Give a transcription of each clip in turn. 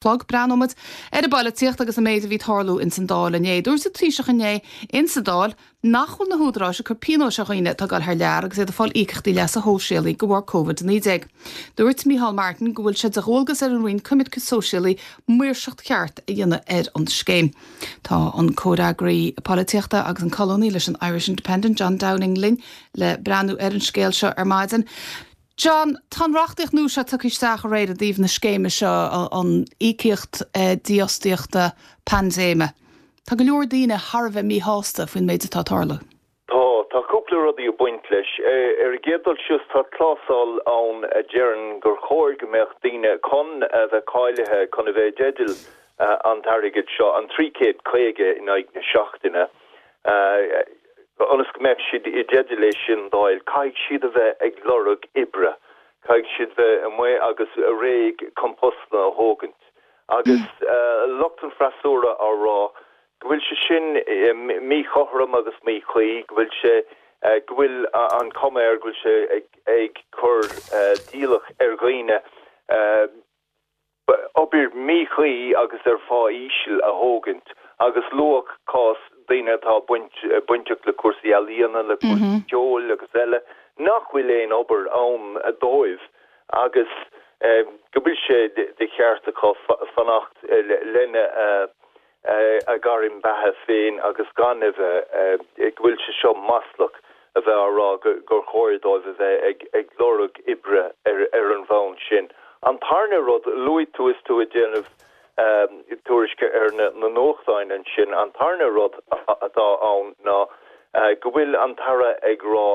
Chlog. Breathnóidh muid ar an bpoilitíocht agus an méid a bhí ag tarlú ins an Dáil inné. Dúirt an Taoiseach inné ins an Dáil nach bhfuil na húdaráis ag cur pionóis ar dhaoine atá ag dul thar lear agus iad ag fáil íocaíochtaí leasa shóisialaigh de bharr Covid-19. Dúirt Micheál Martin go bhfuil sé de dhualgas ar an Roinn Coimirce Sóisialaí maoirseacht cheart a dhéanamh ar an scéim. Tá an comhfhreagraí polaitíochta agus an colúnaí leis an Irish Independent, John Downing linn le breathnú ar an scéal seo ar maidin. John, tá an reachtaíocht nua seo tugtha isteach aréir i dtaobh na scéime seo, an íocaíocht dífhostaíochta paindéime. Tá go leor daoine thar a bheith míshásta faoin méid atá ag tarlú. Tá. Tá cúpla rudaí ag baint leis. Ar an gcéad dul síos, tá clásal ann a deireann gur chóir go mbeadh daoine chun a bheith cáilithe chun a bheith i dteideal an t-airgead seo, an 350 in aghaidh na seachtaine, Ionas go mbeadh siad i dteideal é sin d'fháil, caithfidh siad a bheith ag lorg oibre, caithfidh siad bheith amuigh agus réidh chun postanna a thógaint. Agus lucht an freasúra á rá go bhfuil sé sin míchothrom agus míchuí, go bhfuil sé, go bhfuil an chuma air go bhfuil sé ag cur d'iallach ar dhaoine, obair mhíchuí agus ar phá íseal a thógaint agus luadh cás daoine atá bainteach le cúrsaí ealaíona, le cúrsaí ceoil agus eile, nach bhfuil aon obair ann dóibh agus go bhfuil sé de cheart acu fanacht lena a ngairm beatha féin agus gan a bheith, go bhfuil sé seo maslach a bheith á rá gur chóir dóibh a bheith ag lorg oibre ar an bhonn sin. An tarna rud, luaigh tú is tú ag déanamh tuairisce ar na nuachtáin ansin, an tarna rud atá ann ná go bhfuil an tAire ag rá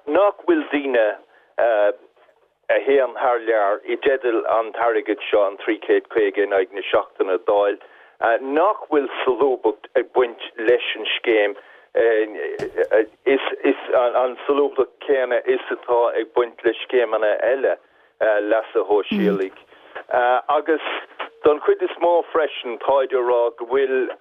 nach bhfuil daoine, a théann thar lear i dteideal an t-airgead seo, an 350 in aghaidh na seachtaine, d'fháil, nach bhfuil solúbthacht ag baint leis an scéim, is an solúbthacht chéanna is atá ag baint le scéimeanna eile leasa shóisialaigh. Agus don chuid is mó freisin, táid á rá go bhfuil.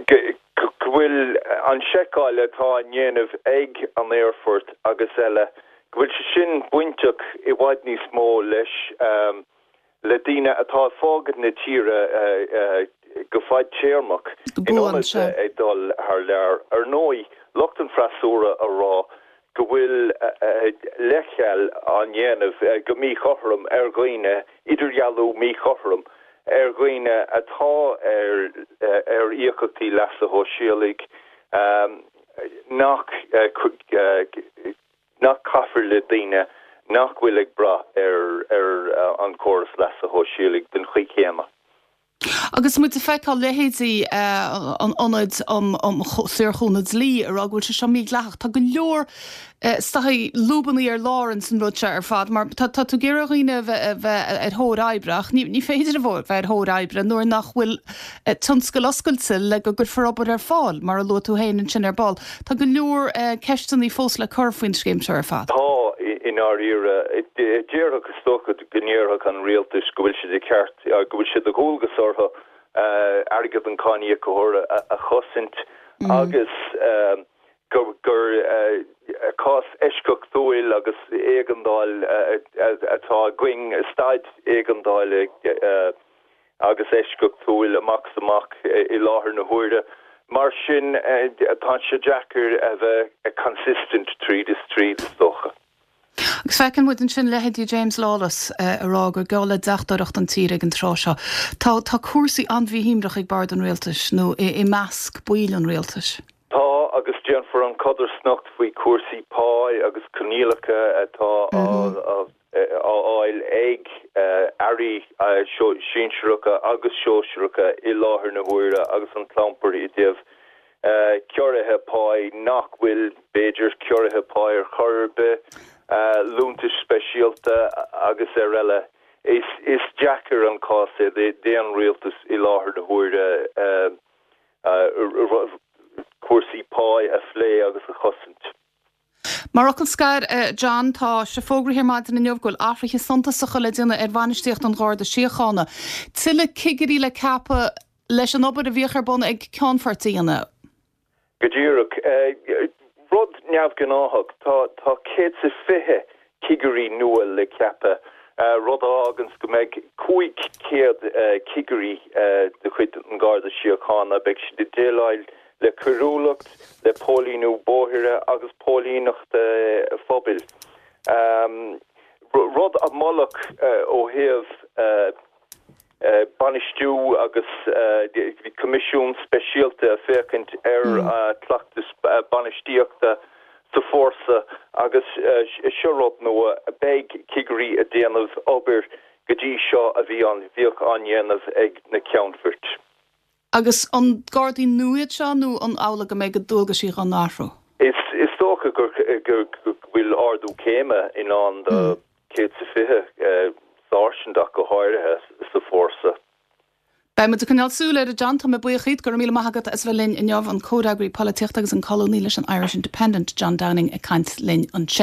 go bhfuil an seiceáil atá á ndéanamh ag an aerfort agus eile, go bhfuil sé sin bainteach i bhfad níos mó leis le daoine atá ag fágaint na tíre go fadtéarmach in ionad bheith ag dul thar lear. Ar ndóigh, lucht an freasúra a rá go bhfuil leithcheal á ndéanamh go míchothrom ar dhaoine, idirdhealú míchothrom ar dhaoine atá ar íocaíochtaí leasa shóisialaigh nach nach caithfear le daoine nach bhfuil ag brath ar an chóras leasa shóisialaigh den chaoi chéanna. Agus muid ag feiceáil leithéidí an Ionaid um Saorchúnamh Dlí ag rá go bhfuil sé seo mídhleathach, tá go leor is dóigh lúbannaí ar lár ins an rud seo ar fad mar tá tú ag iarraidh dhaoine a bheith ar thóir oibre ach ní féidir a bheith ar thóir oibre nuair nach bhfuil tionscail oscailte le go gcuirfear obair ar fáil, mar a luaigh tú féin ansin ar ball. Tá go leor ceisteanna fós le cur faoin scéim seo ar fad. Tá, i ndáiríre. Déarfadh, is dócha go ndéarfadh an rialtas go bhfuil sé de cheart, go bhfuil sé de dhualgas orthu airgead an cháiníocóra a chosaint agus gur cás eisceachtúil agus éigeandáil atá againn, staid éigeandála agus eisceachtúil amach is amach i láthair na huaire. Mar sin, tá sé deacair a bheith consistent tríd is tríd, is dócha. Agus feiceann muid ansin leithéidí James Lawless ag rá gur geall le deachtóireacht an tír ag an tráth seo. Tá tá cúrsaí an-mhíshuaimhneach ag bord an rialtais nó i i measc baill an rialtais. Tá, agus déanfar an chodarsnacht faoi chúrsaí páí agus coinníollacha atá á á fháil ag airí sinsearacha agus sóisearacha i láthair na huaire agus an clampar i dtaobh ciorruithe páí nach bhfuil, b'fhéidir, ciorruithe páí ar chor ar bith, liúntais speisialta agus ar eile. Is deacair an cás é d'aon rialtas i láthair na huaire cúrsaí páí a phlé agus a chosaint. Mar fhocal scoir, a John, tá sé fógraithe ar maidin inniu go bhfuil athruithe suntasacha le déanamh ar bhainistíocht an Gharda Síochána. Tuilleadh cigirí le ceapadh leis an obair a bhíodh ar bun ag Ceannfoirt a dhéanamh. Go díreach. Rud neamhghnáthach, tá 120 cigirí nua le ceapadh. Rud a fháganns go mbeidh 500 cigirí de chuid an Gharda Síochána, beidh siad ag déileáil le coiriúlacht, le póilíniú bóithre agus póilíneacht phobail. Rud a moladh ó thaobh bainistiú agus bhí coimisiún speisialta ag féachaint ar chleachtais bainistíochta sa fórsa agus seo rud nua, beidh cigirí ag déanamh obair go dtí seo a bhí an, bhíodh á ndéanamh ag na ceannfoirt. Agus an Gardaí nua iad seo nó an amhlaidh go mbeidh a ndualgaisí dhá n-athrú? Is dócha go bhfuil ardú céime i ndán do 120 sáirsint ach go háirithe sa fórsa. Beidh muid ag coinneáil súil air, a John. Tá mé buíoch díot. Go raibh míle maith agat as a bheith linn inniu. An comhfhreagraí polaitíochta agus an colúnaí leis an Irish Independent, John Downing, ag caint linn ansin.